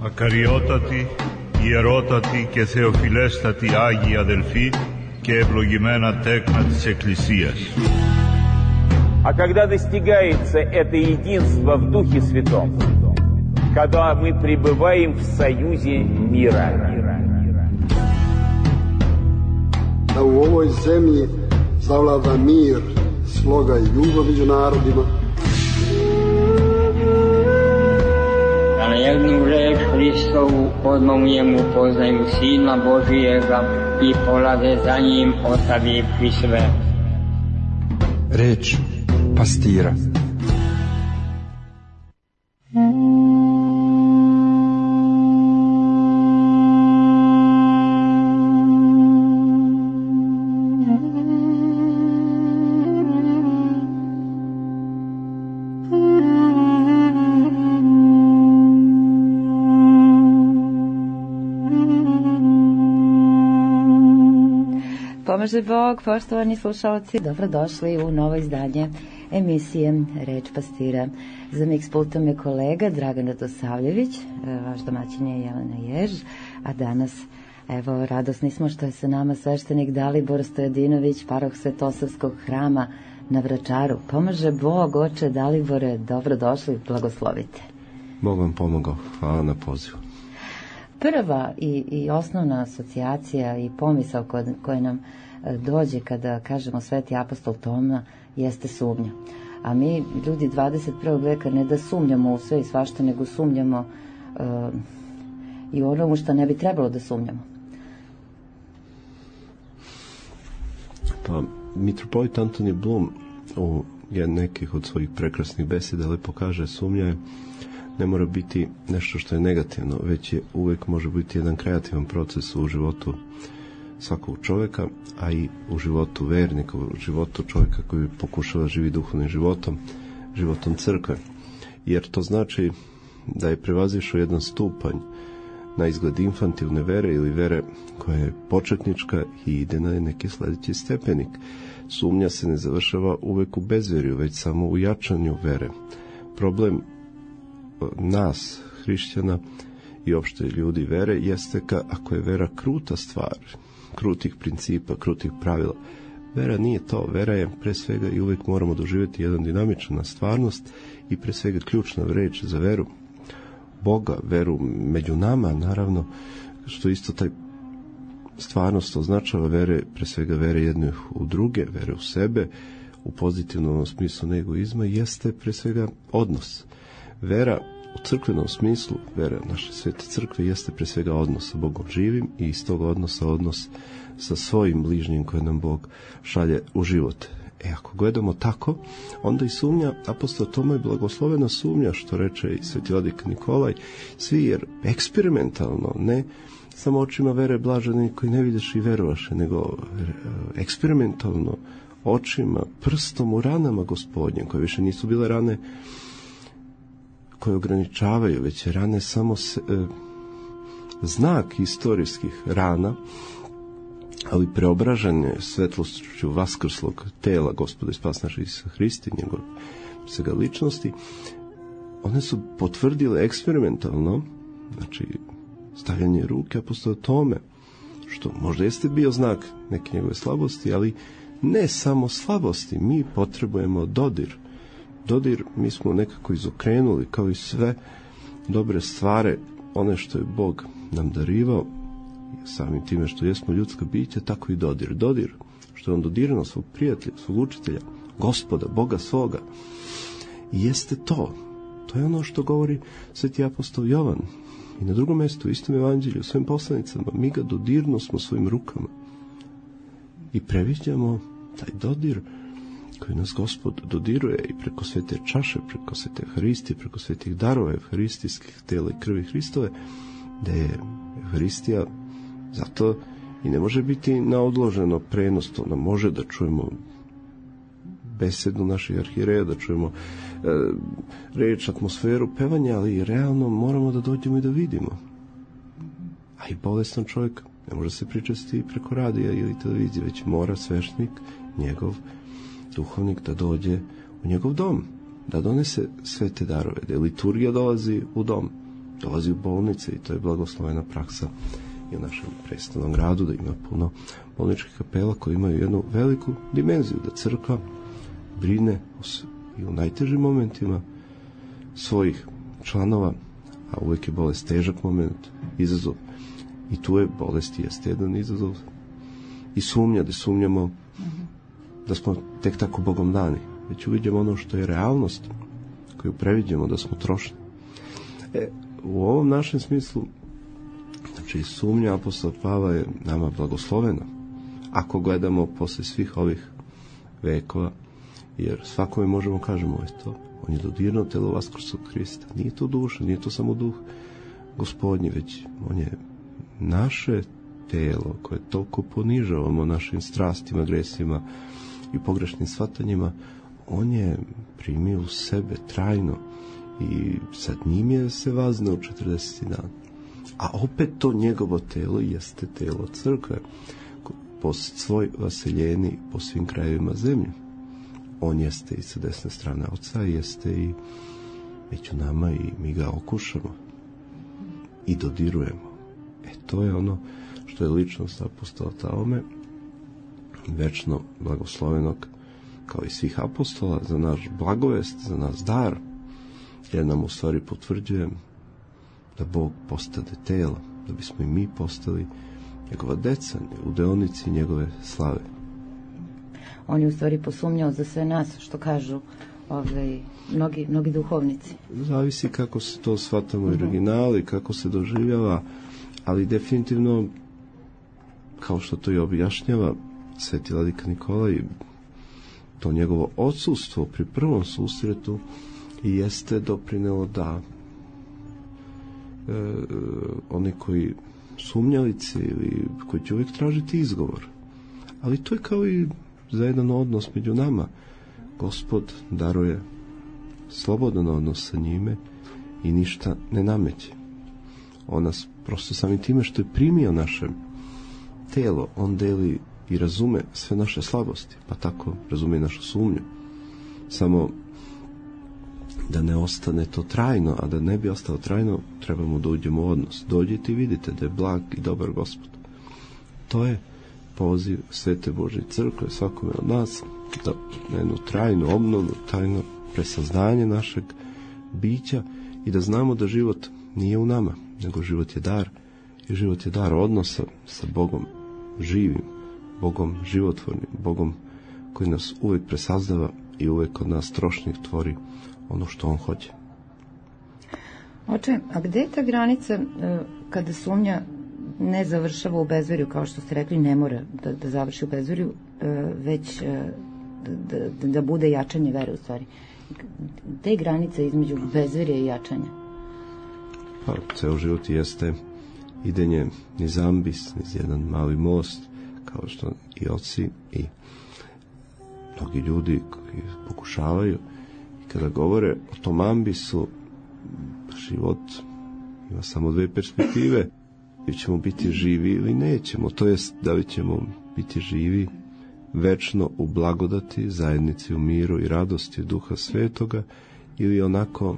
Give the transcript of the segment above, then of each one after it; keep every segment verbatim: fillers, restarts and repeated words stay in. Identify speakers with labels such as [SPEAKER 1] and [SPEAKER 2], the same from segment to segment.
[SPEAKER 1] Ακαριότατοι, ιερότατοι και θεοφιλέστατοι Άγιοι αδελφοί και ευλογημένα τέκνα της Εκκλησίας.
[SPEAKER 2] А когда достигается это единство в Духе Святом, когда мы пребываем в союзе мира.
[SPEAKER 3] Da u ovoj zemlji zavlada mir, sloga i ljubav među narodima.
[SPEAKER 4] Da na jednu reč Hristovu odmah mu poznaju Sina Božijega i polade za njim ostavivši sve.
[SPEAKER 5] Reč pastira.
[SPEAKER 6] Pomaže Bog, poštovani slušalci, dobrodošli u novo izdanje emisije Reč pastira. Za miks pultom je kolega Dragan Radosavljević, vaš domaćin je Jelena Jež, a danas, evo, radosni smo što je sa nama sveštenik Dalibor Stojadinović, paroh Svetosavskog hrama na Vračaru. Pomaže Bog, oče Dalibore, dobrodošli, blagoslovite.
[SPEAKER 7] Bog vam pomogao, hvala na pozivu.
[SPEAKER 6] Prva i, i osnovna asocijacija i pomisao koja, koja nam dođe kada kažemo Sveti apostol Toma jeste sumnja. A mi, ljudi dvadeset prvog veka, ne da sumnjamo u sve i svašta, nego sumnjamo uh, i u onomu što ne bi trebalo da sumnjamo.
[SPEAKER 7] Pa, mitropolit Antonije Blum u nekih od svojih prekrasnih beseda lepo kaže, sumnja je ne mora biti nešto što je negativno, već je uvek može biti jedan kreativan proces u životu svakog čoveka, a i u životu vernika, u životu čovjeka koji pokušava živi duhovnim životom, životom crkve. Jer to znači da je prevazišao jedan stupanj na izgled infantilne vere ili vere koja je početnička i ide na neki sledeći stepenik. Sumnja se ne završava uvek u bezverju, već samo u jačanju vere. Problem nas, hrišćana i opšte ljudi vere, jeste ka, ako je vera kruta stvar, krutih principa, krutih pravila. Vera nije to, vera je pre svega i uvek moramo doživjeti jedan dinamična stvarnost i pre svega ključna reč za veru Boga, veru među nama, naravno, što isto taj stvarnost označava vere, pre svega vere jedne u druge, vere u sebe, u pozitivnom smislu egoizma, jeste pre svega odnos. Vera u crkvenom smislu, vera naše svete crkve, jeste pre svega odnos sa Bogom živim i iz tog odnosa odnos sa svojim bližnjim koje nam Bog šalje u život. E, ako gledamo tako, onda i sumnja, apostol Toma je blagoslovena sumnja, što reče i sveti vladika Nikolaj, svi jer eksperimentalno, ne samo očima vere blaženi koji ne vidiš i verovaše, nego eksperimentalno očima, prstom u ranama Gospodnje, koje više nisu bile rane koje ograničavaju, već je rane samo se, e, znak istorijskih rana, ali preobražanje svetlošću vaskrslog tela Gospoda i spas našeg Isusa Hrista, njegove svega ličnosti, one su potvrdile eksperimentalno, znači stavljanje ruke apostola Tome, što možda jeste bio znak neke njegove slabosti, ali ne samo slabosti, mi potrebujemo dodir. Dodir mi smo nekako izokrenuli, kao i sve dobre stvari, one što je Bog nam darivao, samim time što jesmo ljudska bića, tako i dodir. Dodir, što je on dodirano svog prijatelja, svog učitelja, Gospoda, Boga svoga. I jeste to. To je ono što govori sveti apostol Jovan. I na drugom mjestu, u istom evanđelju, svojim poslanicama, mi ga dodirno smo svojim rukama. I previđamo taj dodir koji nas Gospod dodiruje i preko svete čaše, preko svete Euharistije, preko svetih darova euharistijskih tela i krvi Hristove, da je Euharistija zato i ne može biti na odloženo prenos, to nam može da čujemo besedu naših arhijereja, da čujemo e, reč, atmosferu, pevanja, ali realno moramo da dođemo i da vidimo. A i bolestan čovjek ne može se pričasti preko radija ili televizije, već mora sveštenik, njegov duhovnik, da dođe u njegov dom, da donese sve te darove, da liturgija dolazi u dom, dolazi u bolnice i to je blagoslovena praksa i u našem prestolnom gradu, da ima puno bolničkih kapela koji imaju jednu veliku dimenziju, da crkva brine i u najtežim momentima svojih članova, a uvijek je bolest težak moment, izazov. I tu je bolest jeste jedan izazov. I sumnja, da sumnjamo da smo tek tako Bogom dani. Već uvidimo ono što je realnost, koju previđemo da smo trošni. E, u ovom našem smislu, znači sumnja apostola Pavla je nama blagoslovena. Ako gledamo posle svih ovih vekova, jer svakome možemo kažemo, eto, on je dodirnuo telo vaskrslog Hrista. Nije to duša, nije to samo duh Gospodnji, već on je naše telo koje toliko ponižavamo našim strastima, gresima i pogrešnim shvatanjima, on je primio u sebe trajno i sad njim je se vaznao u četrdeseti dan. A opet to njegovo telo jeste telo crkve, po svoj vaseljeni po svim krajevima zemlje. On jeste i sa desne strane Oca, jeste i među nama i mi ga okušamo i dodirujemo. E, to je ono što je ličnost apostola Taume, večno blagoslovenog kao i svih apostola, za naš blagovest, za nas dar, jer nam u stvari potvrđuje da Bog postade telo, da bismo i mi postali njegova deca, u deonici njegove slave.
[SPEAKER 6] On je u stvari posumnjao za sve nas, što kažu ovaj, mnogi, mnogi duhovnici.
[SPEAKER 7] Zavisi kako se to shvatamo u originali, kako se doživljava, ali definitivno, kao što to i objašnjava sveti vladika Nikolaj, to njegovo odsustvo pri prvom susretu jeste doprinelo da e, oni koji sumnjalice ili koji će uvijek tražiti izgovor. Ali to je kao i za jedan odnos među nama. Gospod daruje slobodan odnos sa njime i ništa ne nameće. On nas prosto samim time što je primio naše telo, on deli i razume sve naše slabosti, pa tako razume i našu sumnju. Samo da ne ostane to trajno, a da ne bi ostalo trajno, trebamo da uđemo u odnos. Dođite i vidite da je blag i dobar Gospod. To je poziv Svete Božje crkve svakome od nas, da na jednu trajnu obnovu, trajno presaznanje našeg bića i da znamo da život nije u nama, nego život je dar i život je dar odnosa sa Bogom živim, Bogom životvornim, Bogom koji nas uvijek presazdava i uvijek od nas trošnih tvori ono što on hoće.
[SPEAKER 6] Oče, a gde je ta granica kada sumnja ne završava u bezverju, kao što ste rekli, ne mora da, da završi u bezverju, već da, da, da bude jačanje vere u stvari. Te granice između bezverja i jačanja?
[SPEAKER 7] Pa, ceo život jeste idenje niz ambis, niz jedan mali most, kao što i oci i mnogi ljudi koji pokušavaju i kada govore o tom ambisu, život ima samo dve perspektive. Da ćemo biti živi ili nećemo, to jest da li ćemo biti živi večno u blagodati, zajednici u miru i radosti Duha Svetoga, ili onako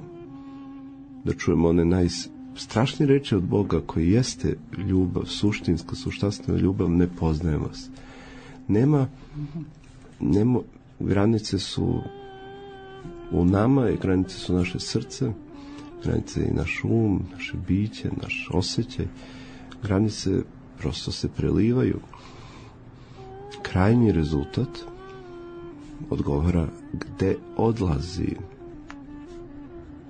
[SPEAKER 7] da čujemo one najstrašnije reči od Boga koji jeste ljubav, suštinska, suštastvena ljubav, ne poznaje vas. Nema, nema, granice su u nama i granice su naše srce, granice i naš um, naše biće, naš osjećaj. Granice prosto se prelivaju. Krajnji rezultat odgovara gde odlazi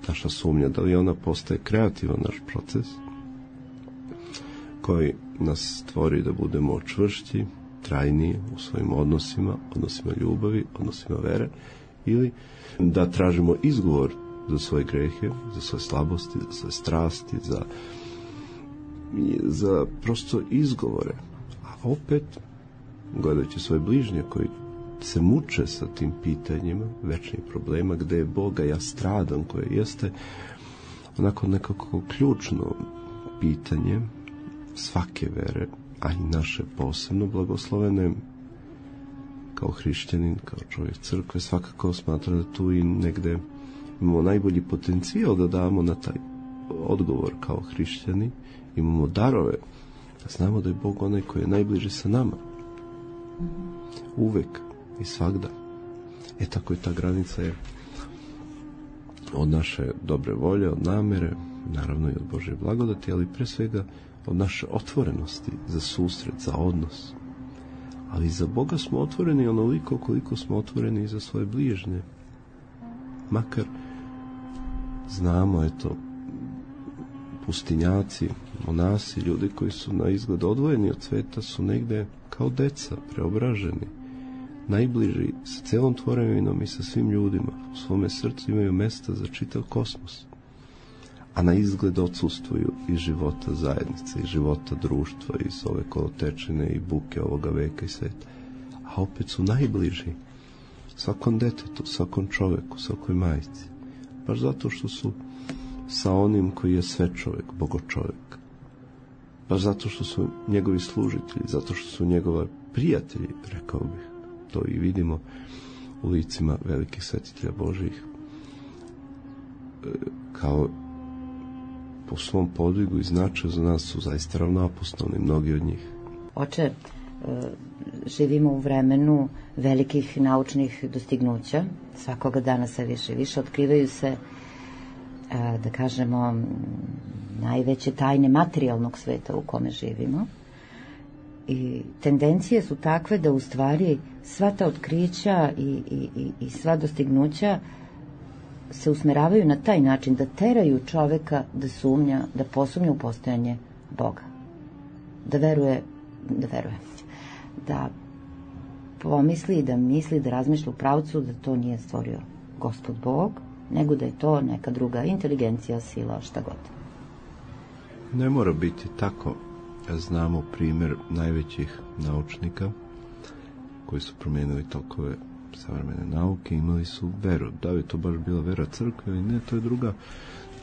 [SPEAKER 7] naša sumnja, da li ona postaje kreativan naš proces koji nas stvori da budemo čvršći, trajniji u svojim odnosima, odnosima ljubavi, odnosima vere, ili da tražimo izgovor za svoje grehe, za svoje slabosti, za svoje strasti, za za prosto izgovore, a opet gledajući svoje bližnje koji se muče sa tim pitanjima večnih problema, gde je Boga, ja stradam, koje jeste onako nekako ključno pitanje svake vere, a i naše posebno blagoslovene kao hrišćanin, kao čovjek crkve, svakako smatra da tu i negde imamo najbolji potencijal da damo na taj odgovor kao hrišćani, imamo darove, znamo da je Bog onaj koji je najbliži sa nama. Uvek i svagda. E tako je ta granica je od naše dobre volje, od namere, naravno i od Božje blagodati, ali pre svega od naše otvorenosti za susret, za odnos. Ali za Boga smo otvoreni onoliko koliko smo otvoreni i za svoje bližnje. Makar znamo, eto, pustinjaci, monasi, ljudi koji su na izgled odvojeni od sveta su negde kao deca, preobraženi, najbliži sa celom tvorevinom i sa svim ljudima. U svome srcu imaju mesta za čitav kosmos, a na izgled odsustvuju iz života zajednice, iz života društva, iz ove kolotečine i buke ovoga veka i sveta. A opet su najbliži svakom detetu, svakom čoveku, svakoj majci. Baš zato što su sa onim koji je sve čovek, bogočovek. Baš zato što su njegovi služitelji, zato što su njegova prijatelji, rekao bih. To i vidimo u licima velikih svetitelja Božijih. Kao po svom podvigu i značaju za nas su zaista ravnoapostolni, mnogi od njih.
[SPEAKER 6] Oče, živimo u vremenu velikih naučnih dostignuća. Svakoga dana sve više i više otkrivaju se, da kažemo, najveće tajne materijalnog sveta u kome živimo. I tendencije su takve da u stvari sva ta otkrića i, i, i, i sva dostignuća se usmeravaju na taj način da teraju čoveka da sumnja, da posumnja u postojanje Boga. Da veruje, da veruje, da pomisli, da misli, da razmišlja u pravcu da to nije stvorio Gospod Bog, nego da je to neka druga inteligencija, sila, šta god.
[SPEAKER 7] Ne mora biti tako. Znamo primjer najvećih naučnika koji su promijenili tokove savremene nauke, imali su veru. Da li je to baš bila vera crkve ili ne, to je druga,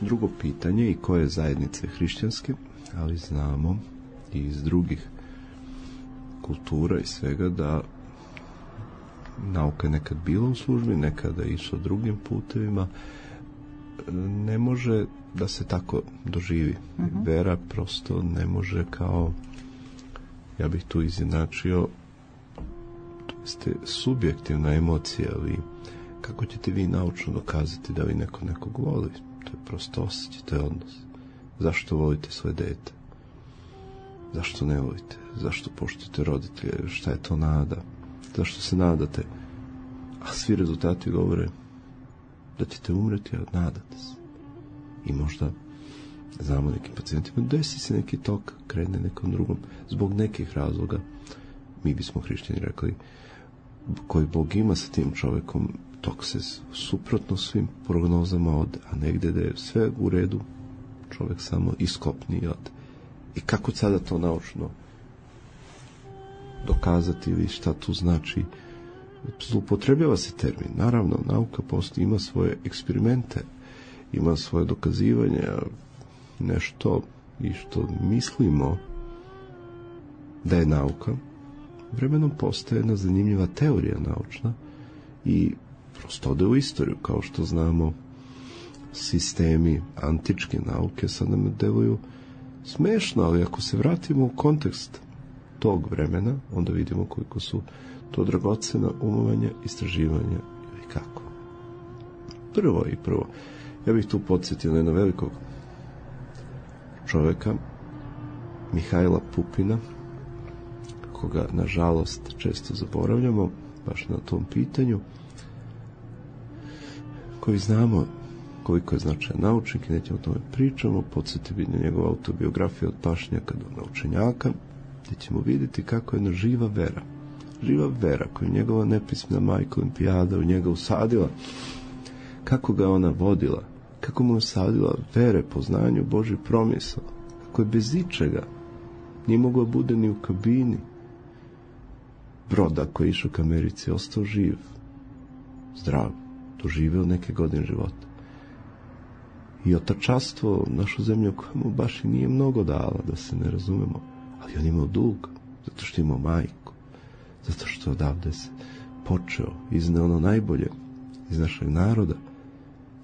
[SPEAKER 7] drugo pitanje i koje zajednice hrišćanske, ali znamo i iz drugih kultura i svega da nauka je nekad bila u službi, nekada je išla drugim putevima. Ne može da se tako doživi. Uh-huh. Vera prosto ne može kao, ja bih tu izjednačio, to jeste subjektivna emocija, ali kako ćete vi naučno dokazati da vi neko nekog voli? To je prosto osjećaj, to je odnos. Zašto volite svoje dete? Zašto ne volite? Zašto poštujete roditelje? Šta je to nada? Zašto se nadate? A svi rezultati govore da ćete umreti, a nadate se. I možda, znamo nekim pacijentima, desi se neki tok, krene nekom drugom, zbog nekih razloga, mi bismo hrišćani rekli, koji Bog ima sa tim čovekom, tok se suprotno svim prognozama ode, a negde da je sve u redu, čovek samo iskopni i ode. I kako sada to naučno dokazati ili šta tu znači? Zloupotrebljava se termin. Naravno, nauka postoji, ima svoje eksperimente, ima svoje dokazivanje, nešto i što mislimo da je nauka, vremenom postaje jedna zanimljiva teorija naučna i prosto ode u istoriju, kao što znamo sistemi antičke nauke sad nam deluju smešno, ali ako se vratimo u kontekst tog vremena, onda vidimo koliko su to dragocena umovanja, istraživanja ili kako. Prvo i prvo, ja bih tu podsjetio na jednog velikog čoveka, Mihajla Pupina, koga nažalost često zaboravljamo, baš na tom pitanju, koji znamo koliko je značajan naučnik i nećemo o tome pričamo, podsjeti bi na njegovu autobiografiju od pašnjaka do naučenjaka, gdje ćemo vidjeti kako je jedna živa vera, živa vera koju njegova nepismena majka Olimpijada u njega usadila, kako ga ona vodila, kako mu je usadila vere, poznanju Božji promisao, kako je bez ičega nije mogao bude ni u kabini broda koji je išao ka Americi, ostao živ, zdrav, doživeo neke godine života. I otačastvo našu zemlju koja mu baš i nije mnogo dala, da se ne razumemo, ali on imao dug, zato što imao majku, zato što odavde se počeo, izneo ono najbolje iz našeg naroda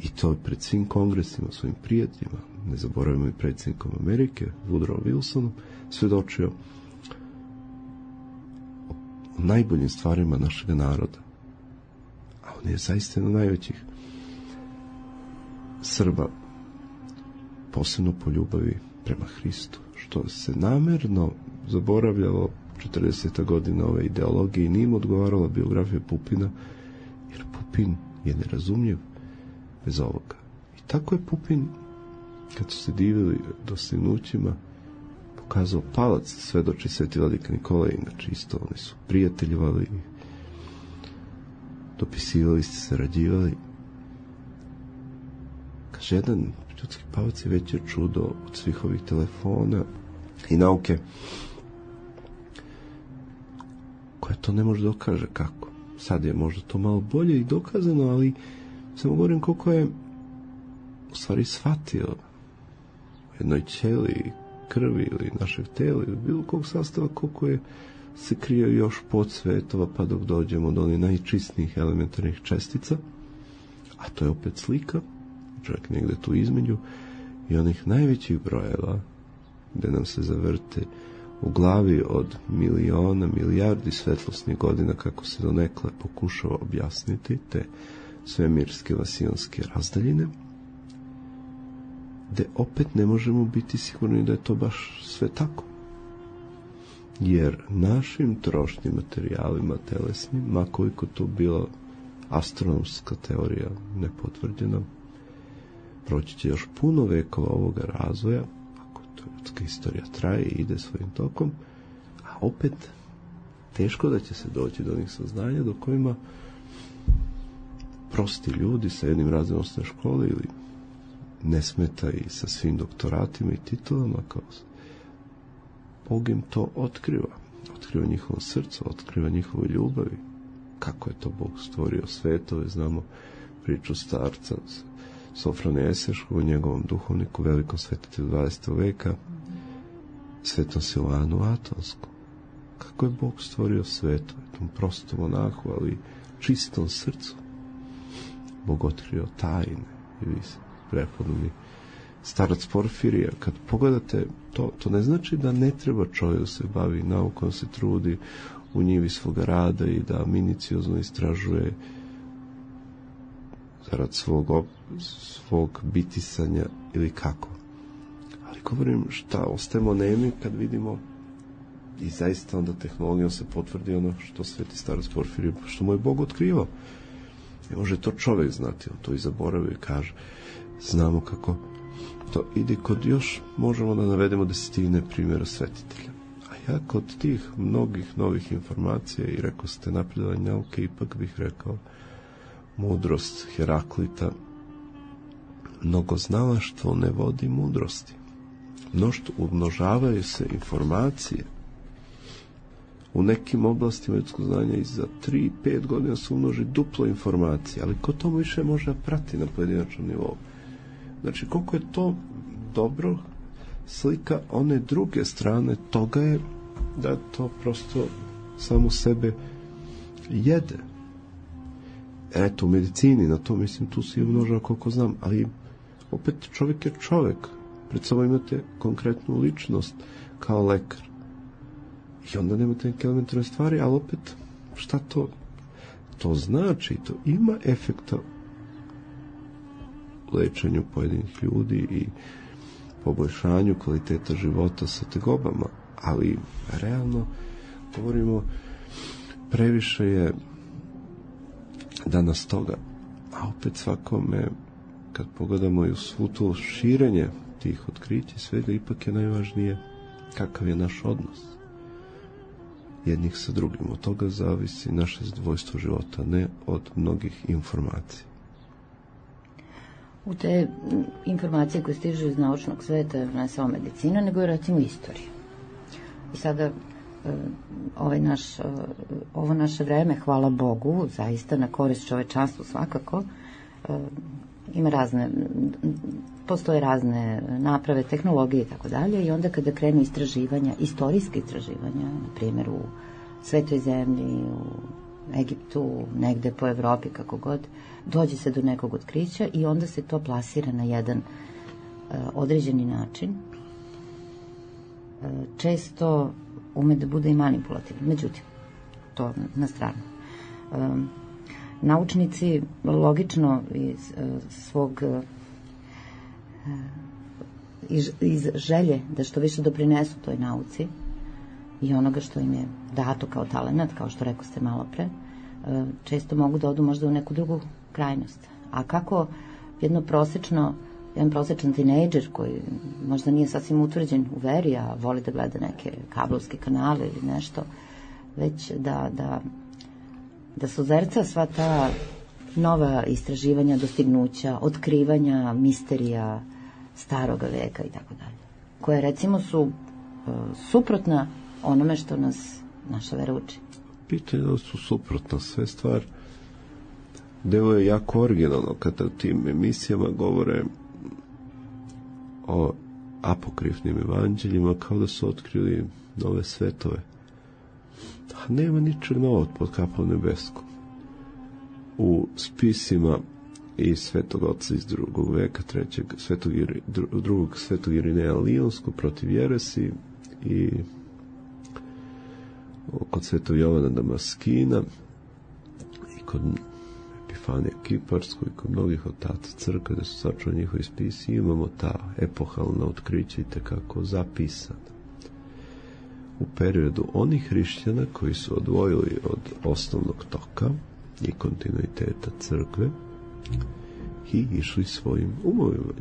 [SPEAKER 7] I to pred svim kongresima, svojim prijateljima, ne zaboravimo i predsjednikom Amerike, Woodrow Wilsonom, svedočio o najboljim stvarima našeg naroda. A on je zaista jedan od najvećih Srba, posebno po ljubavi prema Hristu, što se namerno zaboravljalo četrdeseta godina ove ideologije i nije mu odgovarala biografija Pupina, jer Pupin je nerazumljiv bez ovoga. I tako je Pupin, kad su se divili dostignućima, pokazao palac, svedoči Sveti vladika Nikolaj, inače isto, oni su prijateljivali, dopisivali se, sarađivali. Kaže, jedan ljudski palac je veće čudo od svih ovih telefona i nauke, koja to ne može dokaže kako. Sad je možda to malo bolje i dokazano, ali samo govorim koliko je u stvari shvatio u jednoj ćeliji krvi ili našeg tela ili bilo kog sastava, koliko je se krio još podsvetova pa dok dođemo do onih najčistnijih elementarnih čestica, a to je opet slika, čovjek negde tu između, i onih najvećih brojeva gde nam se zavrte u glavi od miliona, milijardi svetlosnih godina, kako se donekle pokušao objasniti te svemirske vasionske razdaljine, gde opet ne možemo biti sigurni da je to baš sve tako. Jer našim trošnim materijalima telesnim, ma koliko to bila astronomska teorija nepotvrđena, proći će još puno vekova ovoga razvoja, ako to ljudska istorija traje i ide svojim tokom, a opet teško da će se doći do onih saznanja do kojima prosti ljudi sa jednim razredom osnovne škole ili ne smeta i sa svim doktoratima i titulama, kao Bog im to otkriva. Otkriva njihovo srce, otkriva njihovu ljubavi. Kako je to Bog stvorio svetove, znamo priču starca Sofrona Eseškog o njegovom duhovniku, velikom svetitelju dvadesetog veka, Svetom Silvanu Atonskom. Kako je Bog stvorio svetove, tom prostom monahu, ali čistom srcu. Bog otkrio tajne i vi se prepodobni starac Porfirija. Kad pogledate to, to ne znači da ne treba čovjek da se bavi naukom, se trudi u njivi svoga rada i da miniciozno istražuje zarad svog, svog bitisanja ili kako. Ali govorim šta, ostajemo nemi kad vidimo i zaista onda tehnologijom se potvrdi ono što sveti starac Porfirije, što mu je Bog otkrivao. Ne može to čovjek znati, on to i zaboravio i kaže. Znamo kako to ide kod još, možemo da navedemo desetine primjera svetitelja. A ja kod tih mnogih novih informacija i rekao ste napredovanje nauke, ipak bih rekao mudrost Heraklita. Mnogo znalaštvo ne vodi mudrosti. Mnoštvo, umnožavaju se informacije. U nekim oblastima ljudskog znanja i za tri pet godina se umnoži duplo informacije, ali ko to više može prati na pojedinačnom nivou? Znači, koliko je to dobro slika one druge strane toga je da to prosto samo sebe jede. Eto, u medicini, na to mislim, tu se i umnožava koliko znam, ali opet čovjek je čovjek. Pred sobom imate konkretnu ličnost kao lekar. I onda nemate neke elementarne stvari, ali opet, šta to? To znači, to ima efekta u lečenju pojedinih ljudi i poboljšanju kvaliteta života sa tegobama, ali realno govorimo, previše je danas toga, a opet svakome, kad pogledamo i u svu to širenje tih otkrića svega, ipak je najvažnije kakav je naš odnos jednih sa drugim. Od toga zavisi naše zadovoljstvo života, ne od mnogih informacija.
[SPEAKER 6] U te informacije koje stižu iz naučnog sveta, ne samo medicina, nego i recimo istorija. I sada ovaj naš, ovo naše vreme, hvala Bogu, zaista na korist čovečanstvu svakako, ima razne, postoje razne naprave, tehnologije i tako dalje, i onda kada krenu istraživanja, istorijske istraživanja, na primjer u Svetoj zemlji, u Egiptu, negde po Evropi, kako god, dođe se do nekog otkrića i onda se to plasira na jedan uh, određeni način. Uh, često ume da bude i manipulativno. Međutim, to na stranu. Um, naučnici logično iz uh, svog uh, iz, iz želje da što više doprinesu toj nauci i onoga što im je dato kao talenat, kao što rekao ste malo pre, uh, često mogu da odu možda u neku drugu krajnost. A kako jedno prosečno jedan prosečan tinejdžer koji možda nije sasvim utvrđen u veri, a voli da gleda neke kablovske kanale ili nešto, već da, da, da suzerca sva ta nova istraživanja, dostignuća, otkrivanja, misterija staroga veka i tako dalje, koje recimo su uh, suprotna onome što nas naša vera uči.
[SPEAKER 7] Pitanje da su suprotna sve stvar. Deo je jako originalno kada u tim emisijama govore o apokrifnim evanđeljima kao da su otkrili nove svetove. A nema ničeg novog pod kapom nebeskom. U spisima i Svetog Oca iz drugog veka, trećeg, svetog, drugog svetog Irineja Lionskog protiv jeresi i kod Svetog Jovana Damaskina i kod Epifanija Kiparskog i kod mnogih otaca crkve da su sačuvani njihovi spisi, imamo ta epohalna otkrića i tekako zapisana u periodu onih hrišćana koji su odvojili od osnovnog toka i kontinuiteta crkve i išli svojim umovima.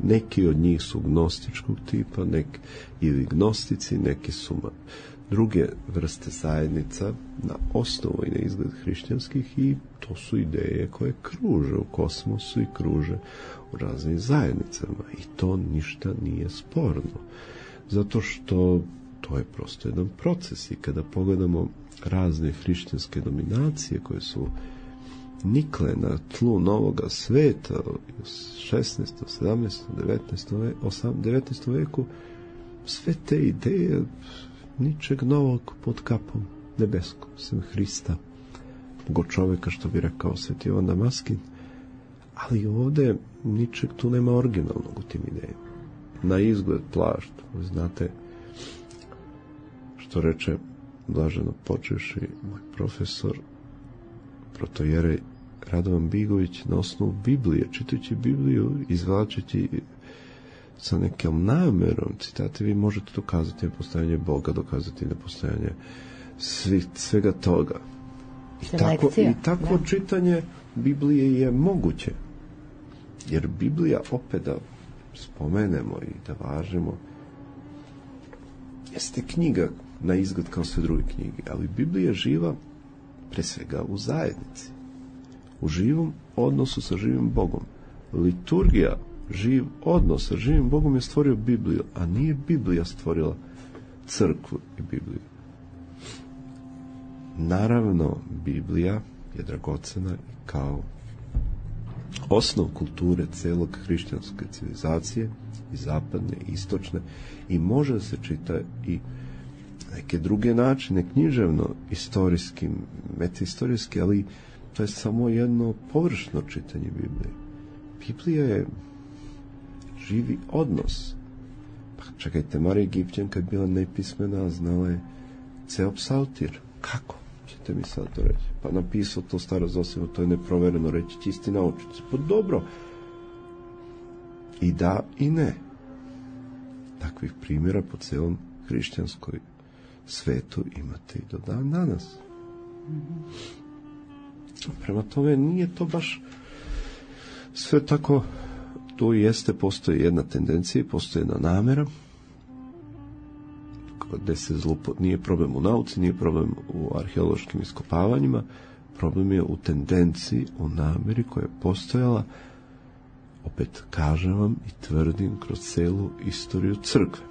[SPEAKER 7] Neki od njih su gnostičkog tipa, neki ili gnostici, neki su druge vrste zajednica na osnovu i na izgled hrišćanskih, i to su ideje koje kruže u kosmosu i kruže u raznim zajednicama, i to ništa nije sporno, zato što to je prosto jedan proces. I kada pogledamo razne hrišćanske dominacije koje su nikle na tlu novoga sveta u šesnaestom, sedamnaestom, devetnaestom veku, sve te ideje ničeg novog pod kapom nebeskom, sem Hrista, Boga čoveka, što bi rekao Sveti Jovan Damaskin. Ali ovde ničeg tu nema originalnog u tim idejama. Na izgled plašt, znate što reče blaženo počevši moj profesor protojerej Radovan Bigović na osnovu Biblije, čitajući Bibliju, izvlačeći sa nekom namerom citate, vi možete dokazati nepostojanje Boga, dokazati nepostojanje svi, svega toga. I tako, i takvo čitanje Biblije je moguće. Jer Biblija, opet da spomenemo i da važemo, jeste knjiga na izgled kao sve druge knjige, ali Biblija je živa pre svega u zajednici, u živom odnosu sa živim Bogom. Liturgija, živ odnos sa živim Bogom je stvorio Bibliju, a nije Biblija stvorila crkvu i Bibliju. Naravno, Biblija je dragocena kao osnov kulture celog hrišćanske civilizacije, i zapadne, i istočne, i može da se čita i neke druge načine, književno, istorijski, metahistorijski, ali to je samo jedno površno čitanje Biblije. Biblija je živi odnos. Pa čekajte, Marija Egipćanka je bila nepismena, znala je ceo psaltir. Kako ćete mi sad to reći? Pa napisao to Staro Zosivo, to je neprovereno, reći će isti naučnici. Pa dobro. I da i ne. Takvih primjera po celom hrišćanskoj svetu imate i do dan danas. Prema tome, nije to baš sve tako. Tu jeste, postoji jedna tendencija, postoji jedna namera, gde se zlupo, nije problem u nauci, nije problem u arheološkim iskopavanjima, problem je u tendenciji, u nameri koja je postojala, opet kažem vam i tvrdim, kroz celu istoriju crkve.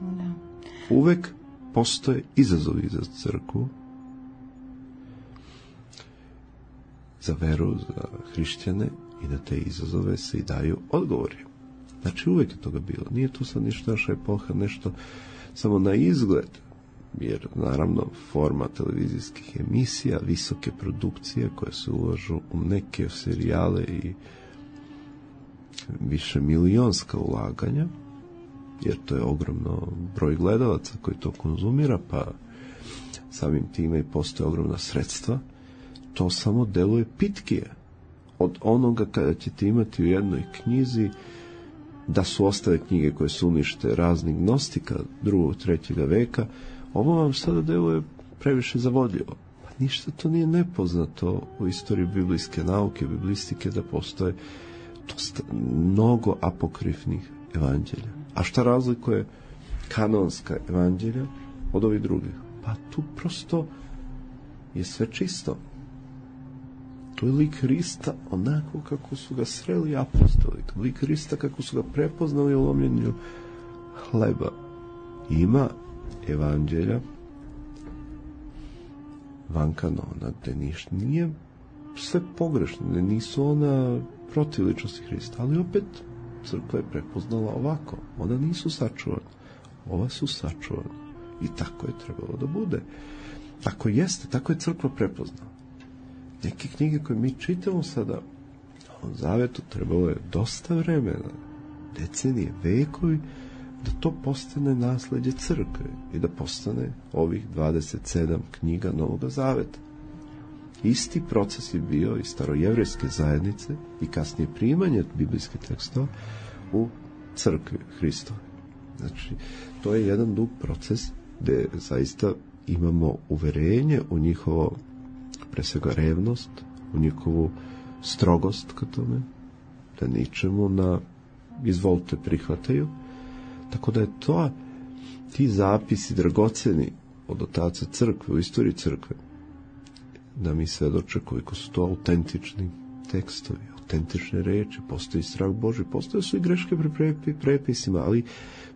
[SPEAKER 7] Da. Uvek postoje izazovi za crkvu, za veru, za hrišćane, i na te izazove se i daju odgovori. Znači, uvek je toga bilo. Nije tu sad ništa naša epoha, nešto samo na izgled. jer naravno forma televizijskih emisija, visoke produkcije koje se ulažu u neke serijale i više milionska ulaganja, jer to je ogromno broj gledalaca koji to konzumira, pa samim time i postoje ogromna sredstva, to samo deluje pitkije od onoga kada ćete imati u jednoj knjizi da su ostale knjige koje su unište raznih gnostika drugog, trećeg veka. Ovo vam sada deluje previše zavodljivo. Pa ništa to nije nepoznato u istoriji biblijske nauke, biblistike, da postoje dosta, mnogo apokrifnih evanđelja. A šta razlikuje kanonska evanđelja od ovih drugih? Pa tu prosto je sve čisto. To je lik Hrista onako kako su ga sreli apostoli. Lik Hrista kako su ga prepoznali u lomljenju hleba. Ima evanđelja van kanona, gde ništa nije sve pogrešno, ne nisu ona protiv ličnosti Hrista, ali opet crkva je prepoznala ovako. Ona nisu sačuvana, ova su sačuvana. I tako je trebalo da bude. Tako jeste, tako je crkva prepoznala. Neke knjige koje mi čitamo sada u Zavetu trebalo je dosta vremena, decenije, vekovi, da to postane nasleđe crkve i da postane ovih dvadeset sedam knjiga Novog Zaveta. Isti proces je bio i starojevrejske zajednice i kasnije primanje biblijskih tekstova u crkvi Hristove. Znači, to je jedan dug proces gde zaista imamo uverenje u njihovo, pre svega, revnost, u njihovu strogost ka tome, da ničemu na izvolite prihvataju. Tako da je to, ti zapisi dragoceni od otaca crkve, u istoriji crkve, da mi svedoče koliko su to autentični tekstovi, autentične reči, postoji strah Božji, postoje su i greške pri prepisima, ali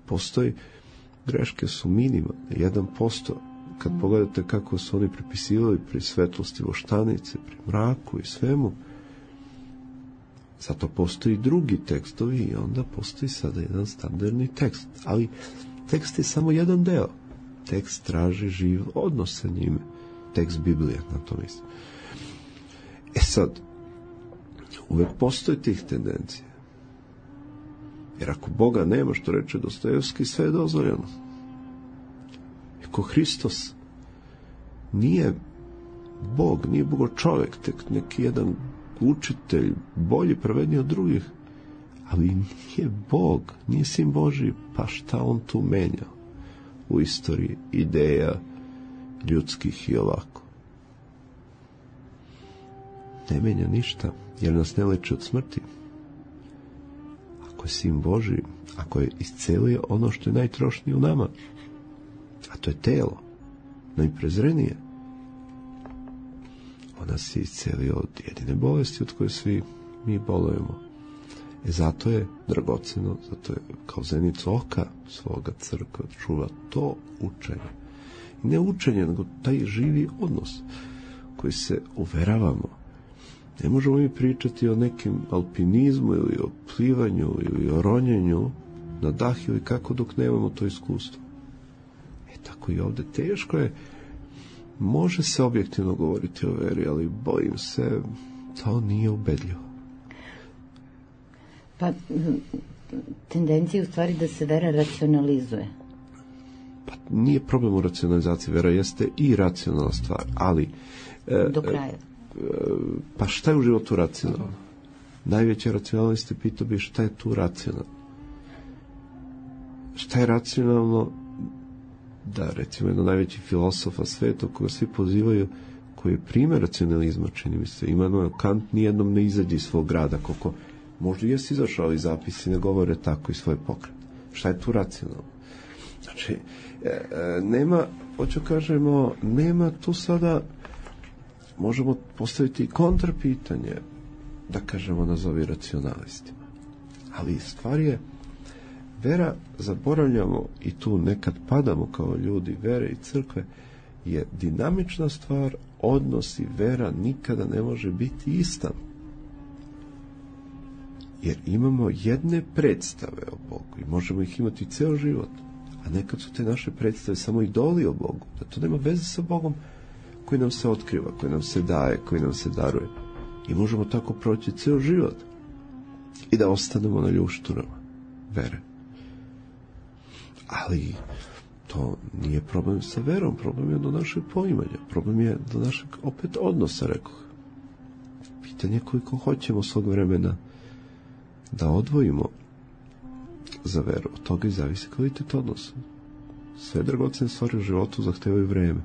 [SPEAKER 7] postoji, greške su minimalne, jedan posto. Kad pogledate kako su oni prepisivali pri svetlosti voštanice, pri mraku i svemu, zato postoji drugi tekstovi i onda postoji sada jedan standardni tekst. Ali tekst je samo jedan deo. Tekst traži živ odnos sa njime. Tekst Biblije, na to mislim. E sad, uvek postoji tih tendencija. Jer ako Boga nema, što reče Dostojevski, sve je dozvoljeno. Ako Hristos nije Bog, nije Bogo čovjek, tek neki jedan učitelj, bolji, pravedniji od drugih, ali nije Bog, nije sin Božji, pa šta on tu menja u istoriji ideja ljudskih i ovako? Ne menja ništa, jer nas ne leči od smrti. Ako je sin Božji, ako je iscelio ono što je najtrošnije u nama, a to je telo, najprezrenije, ona se iscelio od jedine bolesti od koje svi mi bolujemo. E zato je dragoceno, zato je kao zenicu oka svoga crkva čuva to učenje. I ne učenje, nego taj živi odnos koji se uveravamo. Ne možemo mi pričati o nekim alpinizmu ili o plivanju ili o ronjenju na dah ili kako dok nemamo to iskustvo. E tako i ovde teško je. Može se objektivno govoriti o veri, ali bojim se, to nije ubedljivo.
[SPEAKER 6] Pa, tendencija je u stvari da se vera racionalizuje.
[SPEAKER 7] Pa nije problem u racionalizaciji, vera jeste i racionalna stvar, ali...
[SPEAKER 6] Do kraja.
[SPEAKER 7] E, pa šta je u životu racionalno? Najveće racionalnosti pitao bi šta je tu racionalno. Šta je racionalno da, recimo, jedan najveći filosofa sveta koga svi pozivaju, koji je primjer racionalizma, čini mi se, Immanuel Kant nijednom ne izađe iz svog grada, koliko možda jesi izašao, ali zapisi ne govore tako i svoje pokrete. Šta je tu racionalno? Znači, nema, hoću kažemo, nema tu sada, možemo postaviti kontrapitanje, da kažemo, nazovi racionalistima. Ali stvar je, vera, zaboravljamo i tu nekad padamo kao ljudi vere i crkve, je dinamična stvar, odnos i vera nikada ne može biti ista. Jer imamo jedne predstave o Bogu i možemo ih imati ceo život, A nekad su te naše predstave samo idoli o Bogu, da to nema veze sa Bogom koji nam se otkriva, koji nam se daje, koji nam se daruje. I možemo tako proći ceo život i da ostanemo na ljušturama vere. Ali to nije problem sa verom, problem je do našeg poimanja, problem je do našeg opet odnosa, rekoh. Pitanje koliko hoćemo svog vremena da odvojimo za veru, od toga i zavisi kvalitet odnosa. Sve dragocene stvari u životu zahtevaju vreme.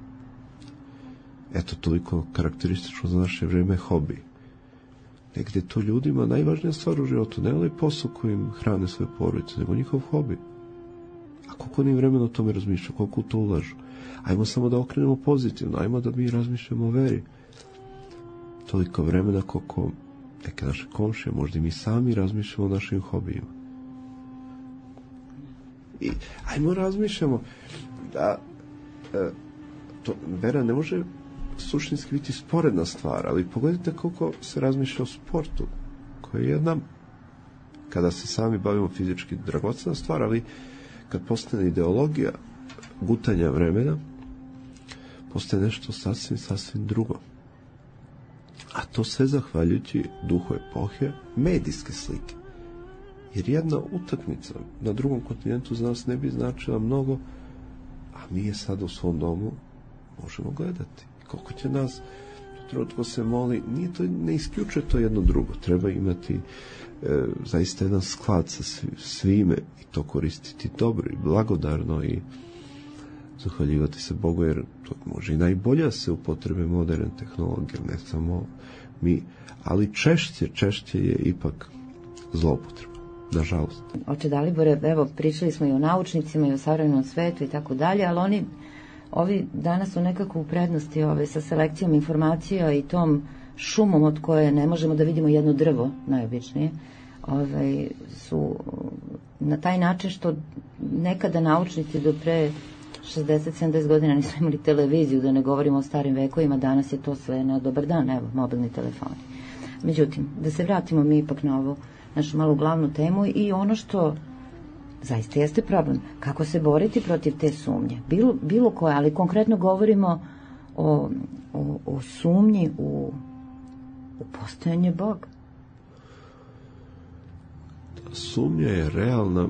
[SPEAKER 7] Eto, toliko karakteristično za naše vreme je hobi. Negde to ljudima najvažnija stvar u životu, ne onaj posao kojim hrane svoje porodice, nego njihov hobi. A koliko oni vremena o tome razmišljaju, koliko u to ulažu. Ajmo samo da okrenemo pozitivno, ajmo da mi razmišljamo o veri. Toliko vremena koliko neke naše komšije, možda i mi sami razmišljamo o našim hobijima. I ajmo razmišljamo da e, to, vera ne može suštinski biti sporedna stvar, ali pogledajte koliko se razmišlja o sportu, koji je jedna, kada se sami bavimo fizički, dragocena stvar, ali kad postane ideologija gutanja vremena, postaje nešto sasvim, sasvim drugo. A to sve zahvaljujući duhu epohe medijske slike. Jer jedna utakmica na drugom kontinentu za nas ne bi značila mnogo, a mi je sada u svom domu možemo gledati. Koliko će nas trenutko se moli, nije to, ne isključuje to jedno drugo. Treba imati e, zaista jedan sklad sa svime i to koristiti dobro i blagodarno i zahvaljivati se Bogu, jer to može i najbolja se upotrebe moderne tehnologije, ne samo mi, ali češće, češće je ipak zloupotreba, nažalost.
[SPEAKER 6] Oče Dalibore, evo, pričali smo i o naučnicima i o savremenom svetu i tako dalje, ali oni, ovi danas su nekako u prednosti ove, sa selekcijom informacija i tom šumom od koje ne možemo da vidimo jedno drvo, najobičnije, ove, su na taj način što nekada naučnici do pre šezdeset sedamdeset godina nisu imali televiziju, da ne govorimo o starim vekovima, danas je to sve na dobar dan, evo, mobilni telefoni. Međutim, da se vratimo mi ipak na ovu našu malu glavnu temu i ono što zaista jeste problem, kako se boriti protiv te sumnje, bilo, bilo koje, ali konkretno govorimo o, o, o sumnji u, u postojanje Boga.
[SPEAKER 7] Sumnja je realna,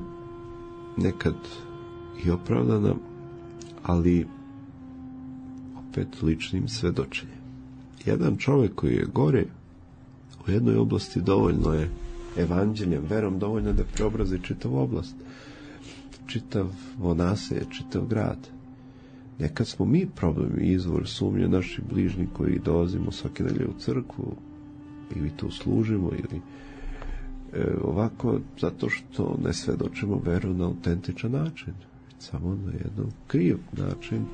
[SPEAKER 7] nekad i opravdana, ali opet ličnim svedočenjem. Jedan čovjek koji je gore u jednoj oblasti dovoljno je evanđeljem, verom dovoljno da preobrazi čitavu oblast, čitavo naselje, čitav grad. Nekad smo mi problem i izvor sumnje naši bližnji koji dolazimo svake nedelje u crkvu ili tu služimo ili e, ovako zato što ne svedočimo veru na autentičan način, samo na jedan kriv način,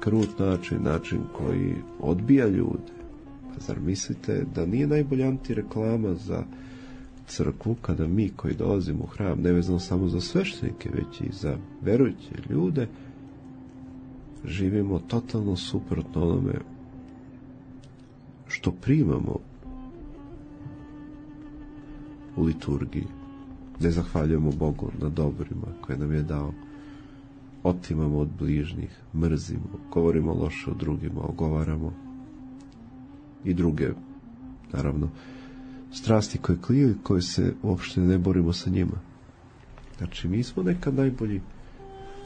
[SPEAKER 7] krut način, način koji odbija ljude. Pa zar mislite da nije najbolja antireklama za crkvu kada mi koji dolazimo u hram, ne vezano samo za sveštenike, već i za verujuće ljude, živimo totalno suprotno onome što primamo u liturgiji, ne zahvaljujemo Bogu na dobrima koje nam je dao, otimamo od bližnjih, mrzimo, govorimo loše o drugima, ogovaramo i druge, naravno, strasti koje kliju, koje se uopšte ne borimo sa njima. Znači, mi smo nekad najbolji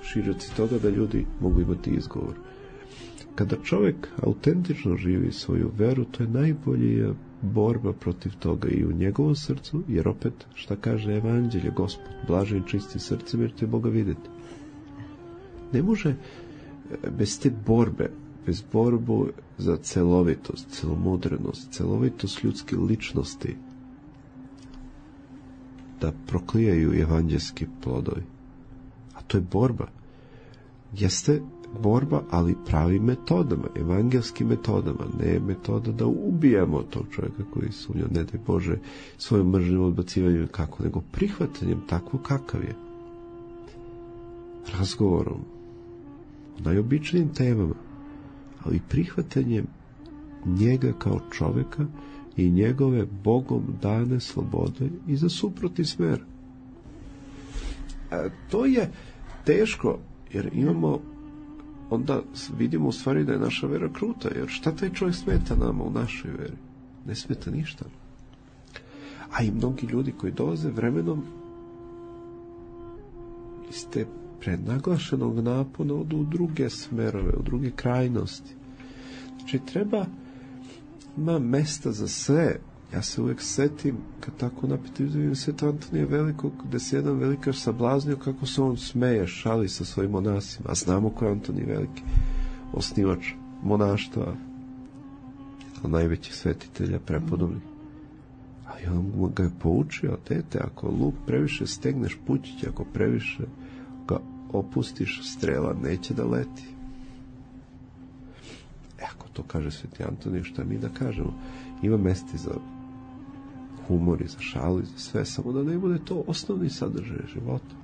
[SPEAKER 7] široci toga da ljudi mogu imati izgovor. Kada čovjek autentično živi svoju veru, to je najbolja borba protiv toga i u njegovom srcu, jer opet, šta kaže evanđelje, Gospod, blažen čisti srcem, jer će Boga vidjeti. Ne može bez te borbe, bez borbu za celovitost, celomudrenost, celovitost ljudske ličnosti, da proklijaju evanđelski plodovi. A to je borba. Jeste borba, ali pravim metodama, evangelskim metodama, ne metoda da ubijamo tog čovjeka koji sumnja, ne daj Bože, svojom mržnjom, odbacivanjem kako, nego prihvatanjem takvog kakav je. Razgovorom o najobičnijim temama, ali prihvatanjem njega kao čovjeka i njegove Bogom dane slobode i za suprotni smer. A to je teško, jer imamo, onda vidimo u stvari da je naša vera kruta, jer šta taj čovjek smeta nama u našoj veri? Ne smeta ništa. A i mnogi ljudi koji dolaze vremenom iz te prenaglašenog napona odu u druge smerove, u druge krajnosti. Znači treba, ima mesta za sve. Ja se uvijek setim, kad tako napite vidim Sveta Antonija Velikog, gde se jedan velikar sablaznio kako se on smeje, šali sa svojim monasima. A znamo ko je Antonij Veliki, osnivač monaštva, jedan najvećih svetitelja prepodobnih. A on ga je poučio, dete, ako luk previše stegneš pućić, ako previše ga opustiš, strela neće da leti. E, ako to kaže Sveti Antonij, šta mi da kažemo? Ima mesti za humor i za šalu i za sve, samo da ne bude to osnovni sadržaj života.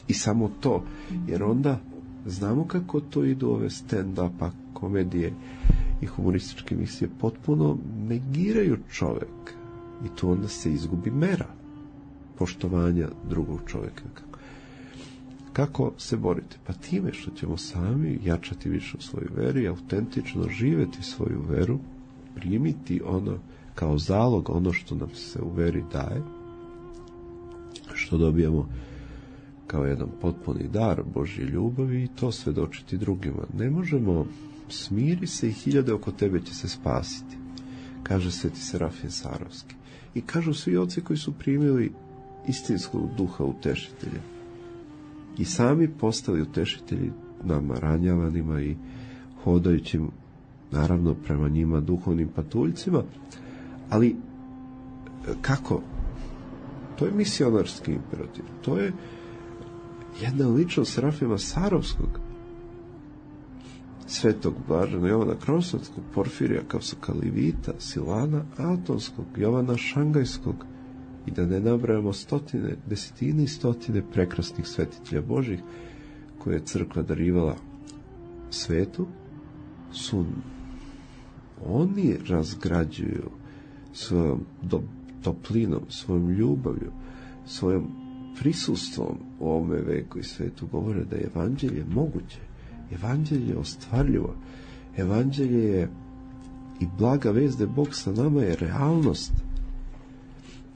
[SPEAKER 7] I samo to, jer onda znamo kako to idu ove stand-upa, komedije i humorističke emisije, potpuno negiraju čovek i tu onda se izgubi mera poštovanja drugog čoveka. Kako se boriti? Pa time što ćemo sami jačati više u svojoj veri, autentično živeti svoju veru, primiti ono kao zalog, ono što nam se u veri daje, što dobijamo kao jedan potpuni dar Božje ljubavi i to svedočiti drugima. Ne možemo, smiri se i hiljade oko tebe će se spasiti, kaže Sveti Serafim Sarovski. I kažu svi oci koji su primili istinskog duha utešitelja i sami postali utešitelji nama ranjavanima i hodajućim, naravno prema njima duhovnim patuljcima, ali kako? To je misionarski imperativ. To je jedna ličnost Serafima Sarovskog, Svetog blažena Jovana Krosovskog, Porfirija Kavsokalivita, Silana Atonskog, Jovana Šangajskog i da ne nabrajamo stotine, desetine i stotine prekrasnih svetitelja Božih koje je crkva darivala svetu, su oni razgrađuju svojom do, toplinom, svojom ljubavlju, svojom prisustvom u ovome veku i svetu govore da je evanđelje moguće, evanđelje je ostvarljivo, evanđelje je i blaga vest da Bog sa nama je realnost.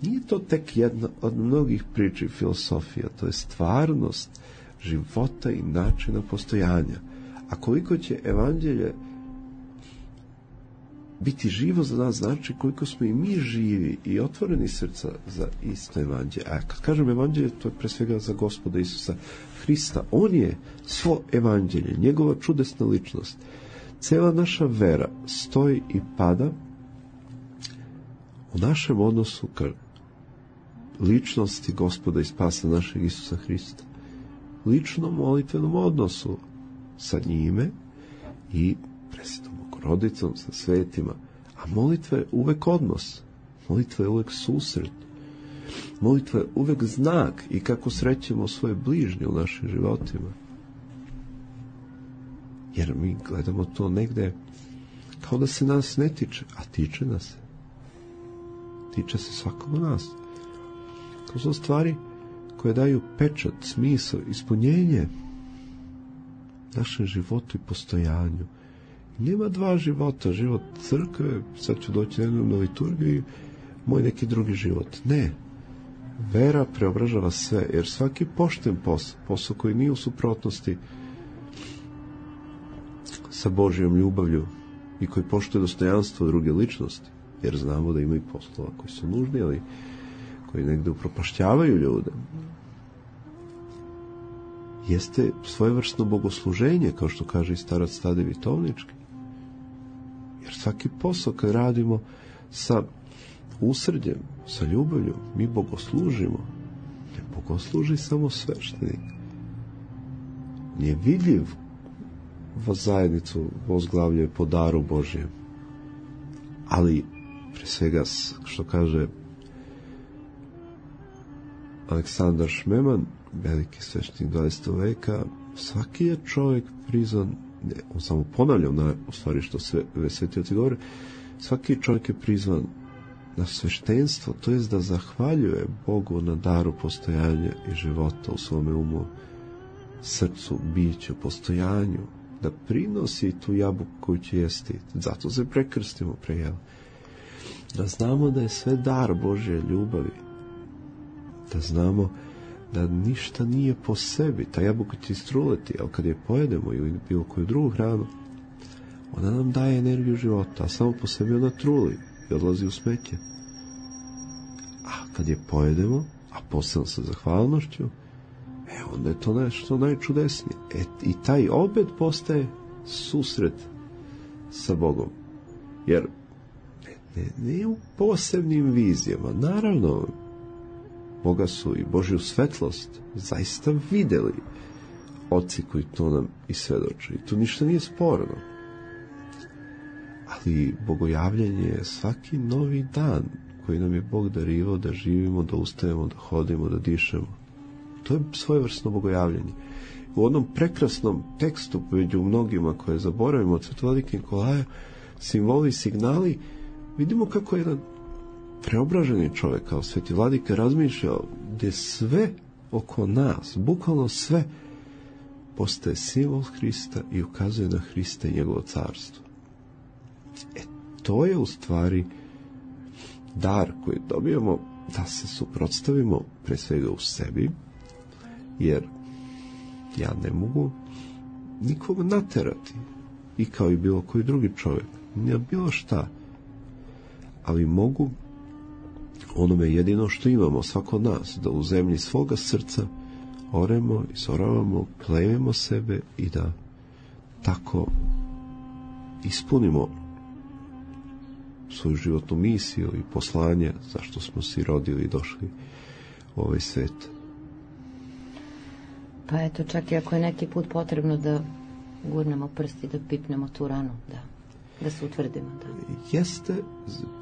[SPEAKER 7] Nije to tek jedna od mnogih priča i filosofija, to je stvarnost života i načina postojanja. A koliko će evanđelje biti živo za nas, znači koliko smo i mi živi i otvoreni srca za isto evanđelje. A kad kažem evanđelje, to je pre svega za Gospoda Isusa Hrista. On je svo evanđelje, njegova čudesna ličnost. Cela naša vera stoji i pada u našem odnosu ka ličnosti Gospoda i spasa našeg Isusa Hrista. Ličnom molitvenom odnosu sa njime i Presvetom Bogorodicom, sa svetima. A molitva je uvek odnos. Molitva je uvek susret. Molitva je uvek znak i kako srećemo svoje bližnje u našim životima. Jer mi gledamo to negde kao da se nas ne tiče, a tiče nas. Tiče se svakog od nas. To su stvari koje daju pečat, smisao, ispunjenje našem životu i postojanju. Nema dva života, život crkve, sad ću doći jednom na liturgiju i moj neki drugi život. Ne. Vera preobražava sve, jer svaki pošten posao, posao koji nije u suprotnosti sa Božjom ljubavlju i koji poštuje dostojanstvo druge ličnosti, jer znamo da ima i poslova koji su nužni, ali koji negde upropašćavaju ljude, jeste svojevrsno bogosluženje, kao što kaže i starac Tadej Vitovnički. Jer svaki posao kad radimo sa usrđem, sa ljubavlju, mi bogoslužimo. Ne bogosluži samo sveštenik. Nije vidljiv zajednicu vozglavlje po daru Božjem. Ali, pre svega, što kaže Aleksandar Šmeman, veliki sveštenik dvadesetog veka, svaki je čovjek prizvan, ne, on samo ponavlja na, u stvari što sve svetioci govore, svaki čovjek je prizvan na sveštenstvo, to jest da zahvaljuje Bogu na daru postojanja i života u svome umu srcu, biću, postojanju, da prinosi tu jabuku koju će jesti. Zato se prekrstimo prejel. Da znamo da je sve dar Božje ljubavi. Da znamo da ništa nije po sebi. Ta jabuka će istruleti, ali kad je pojedemo ili bilo koju drugu hranu, ona nam daje energiju života, a samo po sebi ona truli i odlazi u smeće. A kad je pojedemo, a posebno sa zahvalnošću, e, onda je to nešto najčudesnije. E, i taj obed postaje susret sa Bogom. Jer ne, ne, ne u posebnim vizijama. Naravno, Boga su i Božju svetlost zaista videli oci koji to nam i svedoče. I tu ništa nije sporno. Ali bogojavljanje je svaki novi dan koji nam je Bog darivao da živimo, da ustajemo, da hodimo, da dišemo. To je svojevrsno bogojavljanje. U onom prekrasnom tekstu među mnogima koje zaboravimo od Svetovladike Nikolaja, simboli i signali, vidimo kako je jedan preobraženi čovjek kao Sveti Vladika razmišljao gdje sve oko nas, bukvalno sve, postaje simbol Hrista i ukazuje na Hrista i njegovo carstvo. E, to je u stvari dar koji dobijemo da se suprotstavimo pre svega u sebi, jer ja ne mogu nikog naterati, i kao i bilo koji drugi čovjek, ne bilo šta, ali mogu onome jedino što imamo, svako od nas, da u zemlji svoga srca oremo, izoravamo, plevimo sebe i da tako ispunimo svoju životnu misiju i poslanje zašto smo se rodili i došli u ovaj svet.
[SPEAKER 6] Pa eto, čak i ako je neki put potrebno da gurnemo prsti, da pipnemo tu ranu, da, da se utvrdimo. Da.
[SPEAKER 7] Jeste,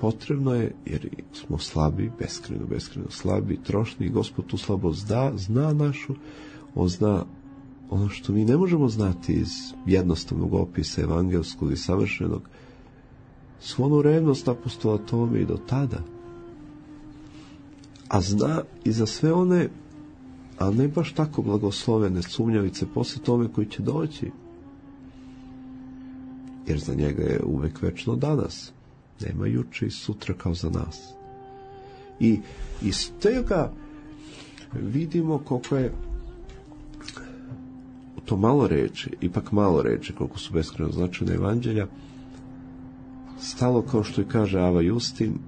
[SPEAKER 7] potrebno je, jer smo slabi, beskrajno, beskrajno slabi, trošni, i Gospod tu slabost da, zna našu, on zna ono što mi ne možemo znati iz jednostavnog opisa evangelskog i savršenog, svu onu revnost apostola Tome i do tada. A zna i za sve one, a ne baš tako blagoslovene sumnjavice posle Tome koji će doći. Jer za njega je uvek večno danas. Nema juče i sutra kao za nas. I iz tega vidimo koliko je to malo reči, ipak malo reči, koliko su beskrajno značajne evanđelja, stalo, kao što i kaže Ava Justin,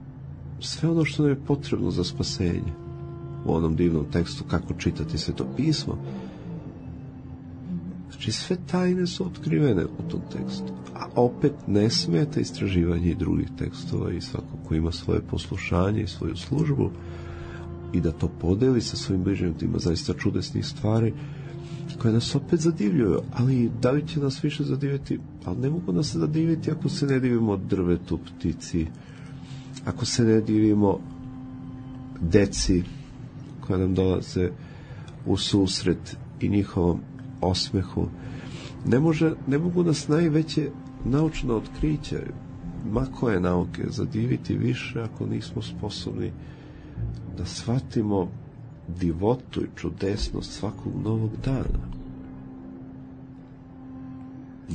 [SPEAKER 7] sve ono što nam je potrebno za spasenje. U onom divnom tekstu kako čitati Sveto pismo. Znači, sve tajne su otkrivene u tom tekstu. A opet ne smeta istraživanje i drugih tekstova, i svako ko ima svoje poslušanje i svoju službu i da to podeli sa svojim bližnjim, ima zaista čudesnih stvari koje nas opet zadivljuju. Ali da li će nas više zadiviti? Ali ne mogu nas zadiviti ako se ne divimo drvetu, ptici, ako se ne divimo deci koja nam dolaze u susret i njihovom osmehu. Ne, može, ne mogu nas najveće naučno otkriće, ma koje nauke, zadiviti više ako nismo sposobni da shvatimo divotu i čudesnost svakog novog dana.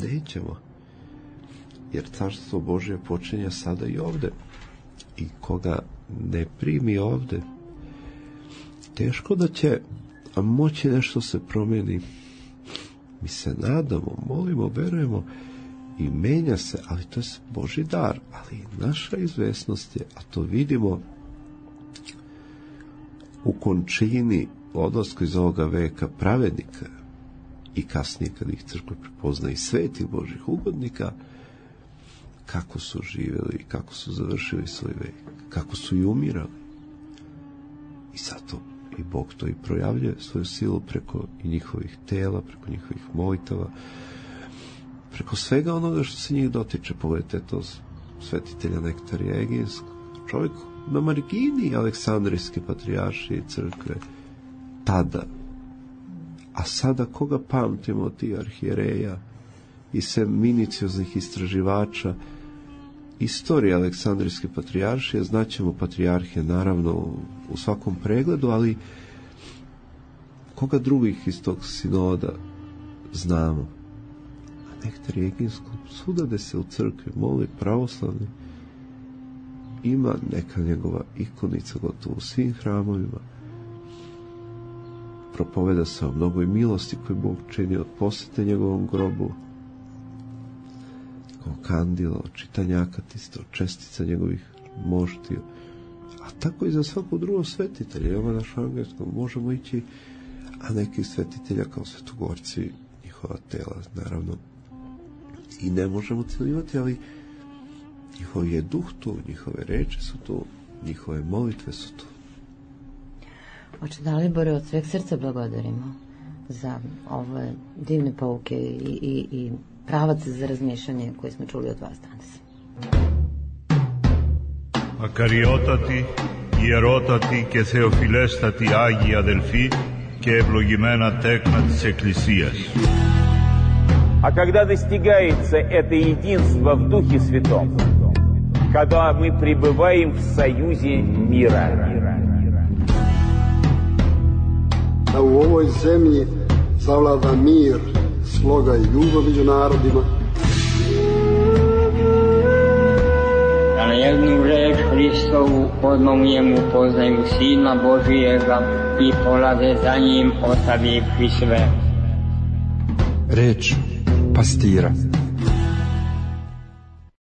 [SPEAKER 7] Nećemo, jer carstvo Božje počinje sada i ovde, i koga ne primi ovde, teško da će moći nešto se promeni. Mi se nadamo, molimo, verujemo i menja se, ali to je Božji dar. Ali naša izvesnost je, a to vidimo u končini odlasku iz ovoga veka pravednika i kasnije kad ih crkva prepozna i svetih Božjih ugodnika, kako su živjeli i kako su završili svoj vek, kako su i umirali. I zato i Bog to i projavljuje svoju silu preko i njihovih tela, preko njihovih molitava, preko svega onoga što se njih dotiče. Pogledajte to svetitelja Nektarija Eginskog, čovjek na margini Aleksandrijske patrijaršije i crkve tada. A sada koga pamtimo od tih arhijereja i sve minicioznih istraživača istorije Aleksandrijske patrijaršije? Znaćemo patrijarhije naravno u svakom pregledu, ali koga drugih iz tog sinoda znamo? A nektar Jeginskog, svuda gde se u crkvi moli pravoslavni, ima neka njegova ikonica gotovo u svim hramovima. Propoveda se o mnogoj milosti koju Bog čini od posete njegovom grobu, kao kandila, od čitanja akatista, od čestica njegovih moštiju. A tako i za svakog drugog svetitelja. Jovana Šangajskog možemo ići, a nekih svetitelja kao svetogorci, njihova tela, naravno, i ne možemo cijelivati, ali njihov je duh tu, njihove reči su tu, njihove molitve su tu.
[SPEAKER 6] Oče Dalibore, od sveg srca blagodarimo za ove divne pouke i, i, i pravac za razmišljanje koje smo čuli od vas danas.
[SPEAKER 1] Ακαριότατη, ιερότατη και θεοφιλέστατη Άγιοι αδελφοί και ευλογημένα τέκνα της Εκκλησίας.
[SPEAKER 2] А когда достигается это единство в Духе Святом, когда мы пребываем в союзе мира.
[SPEAKER 3] Da u ovoj zemlji zavlada mir, sloga i ljubav među narodima.
[SPEAKER 4] Da na jednu reč Hristovu odmah poznaju Sina Božijega i polaze za njim ostavivši sve.
[SPEAKER 5] Reč pastira.